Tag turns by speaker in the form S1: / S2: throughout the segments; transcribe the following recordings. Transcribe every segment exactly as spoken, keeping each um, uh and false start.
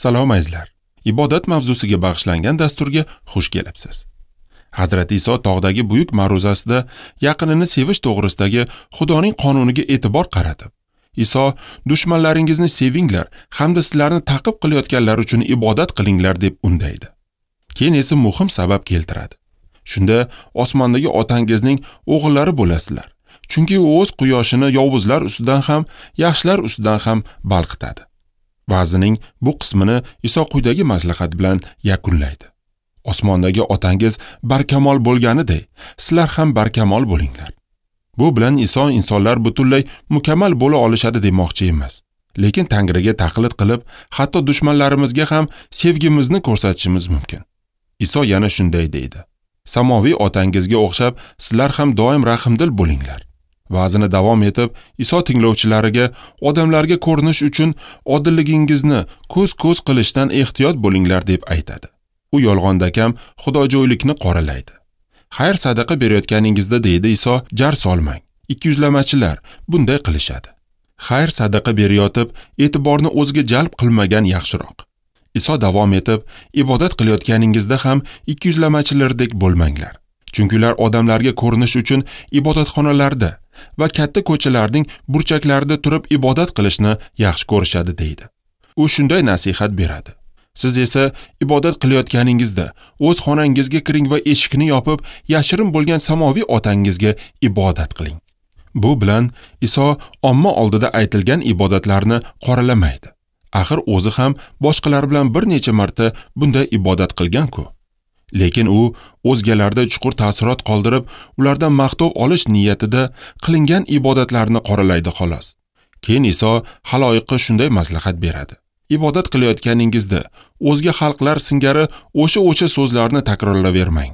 S1: Salom azizlar. Ibodat mavzusiga bag'ishlangan dasturga xush kelibsiz. Hazrati Iso tog'dagi buyuk ma'ruzasida yaqinini sevish to'g'risidagi Xudoning qonuniga e'tibor qaratib, Iso dushmanlaringizni sevinglar hamda sizlarni ta'qib qilayotganlar uchun ibodat qilinglar deb undaydi. Keyin esa muhim sabab keltiradi. Shunda osmondagi otangizning o'g'illari bo'lasizlar. Chunki u o'z quyoshini yovuzlar ustidan ham, yaxshilar ustidan ham balqitadi. Va'zining bu qismini Iso quyidagi maslahat bilan yakunlaydi. Osmondagi otangiz barkamol bo'lganiday, sizlar ham barkamol bo'linglar. Bu bilan Iso insonlar butunlay mukammal bo'la olishadi demoqchi emas. Lekin Tangriga taqlid qilib, hatto dushmanlarimizga ham sevgimizni ko'rsatishimiz mumkin. Iso yana shunday deydi: Samoviy otangizga o'xshab sizlar ham doim rahmdil bo'linglar. Va'zini davom etib, Iso tinglovchilariga odamlarga ko'rinish uchun odilligingizni ko'z-ko'z qilishdan ehtiyot bo'linglar deb aytadi. U yolg'ondakam xudojo'ylikni qoralaydi. Xayr sadaqa berayotganingizda, deydi Iso, jar solmang. Ikkiyuzlamachilar bunday qilishadi. Xayr sadaqa berayotib, e'tiborni o'ziga jalb qilmagan yaxshiroq. Iso davom etib, ibodat qilayotganingizda ham ikkiyuzlamachilardek bo'lmanglar. Chunki ular odamlarga ko'rinish uchun ibodatxonalarda va katta ko'chalarning burchaklarida turib ibodat qilishni yaxshi ko'rishadi, deydi. U shunday nasihat beradi. Siz esa ibodat qilayotganingizda o'z xonangizga kiring va eshikni yopib, yashirin bo'lgan samoviy otangizga ibodat qiling. Bu bilan Iso omma oldida aytilgan ibodatlarni qoralamaydi. Axir o'zi ham boshqalar bilan bir necha marta bunday ibodat qilgan-ku. Lekin u o'zgalarda chuqur ta'sirot qoldirib, ulardan maqtov olish niyatida qilingan ibodatlarni qoralaydi xolos. Keyin Iso xaloyiqqa shunday maslahat beradi. Ibodat qilayotganingizda o'zga xalqlar singari o'sha-o'sha so'zlarni takrorlayvermang.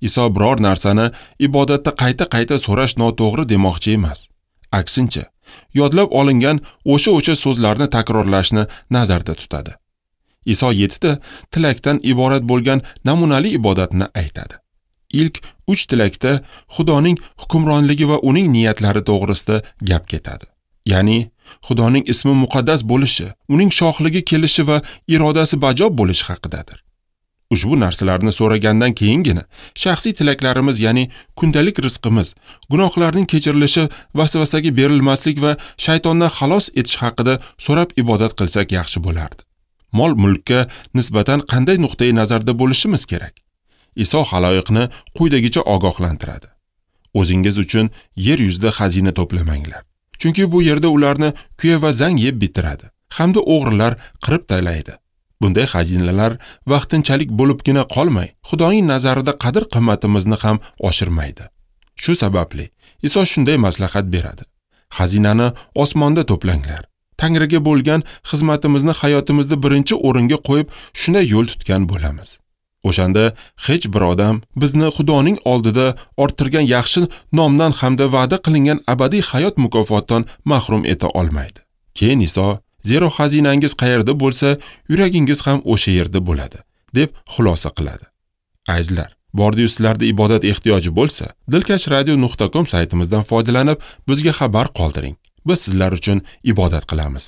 S1: Iso biror narsani ibodatda qayta-qayta so'rash noto'g'ri demoqchi emas. Aksincha, yodlab olingan o'sha-o'sha so'zlarni takrorlashni nazarda tutadi. Iso yettita tilakdan iborat bo'lgan namunali ibodatni aytadi. Ilk uch tilakda Xudoning hukmronligi va uning niyatlari to'g'risida gap ketadi. Ya'ni Xudoning ismi muqaddas bo'lishi, uning shohligi kelishi va irodasi bajo bo'lishi haqidadir. Ushbu narsalarni so'ragandan keyingina shaxsiy tilaklarimiz, ya'ni kundalik rizqimiz, gunohlarning kechirilishi, vasvasaga berilmaslik va shaytondan xalos etish haqida so'rab ibodat qilsak yaxshi bo'lardi. Mol-mulkka nisbatan qanday nuqtai nazarda bo'lishimiz kerak? Iso xaloyiqni quyidagicha ogohlantiradi. O'zingiz uchun yer yuzida xazina to'plamanglar. Chunki bu yerda ularni kuya va zang yeb bitiradi, hamda o'g'rilar qirib talaydi. Bunday xazinalar vaqtinchalik bo'libgina qolmay, Xudoning nazarida qadr-qimmatimizni ham oshirmaydi. Shu sababli Iso shunday maslahat beradi. Xazinani osmonda to'planglar. Tangriga bo'lgan xizmatimizni hayotimizda birinchi o'ringa qo'yib, shunday yo'l tutgan bo'lamiz. O'shanda hech bir odam bizni Xudoning oldida orttirgan yaxshi nomdan hamda va'da qilingan abadiy hayot mukofotidan mahrum eta olmaydi. Keyin Iso, zero xazinangiz qayerda bo'lsa, yuragingiz ham o'sha yerda bo'ladi, deb xulosa qiladi. Azizlar, bordiyu sizlarda ibodat ehtiyoji bo'lsa, dilkash radio nuqta com saytimizdan foydalanib, bizga xabar qoldiring. Biz sizlar uchun ibodat qilamiz.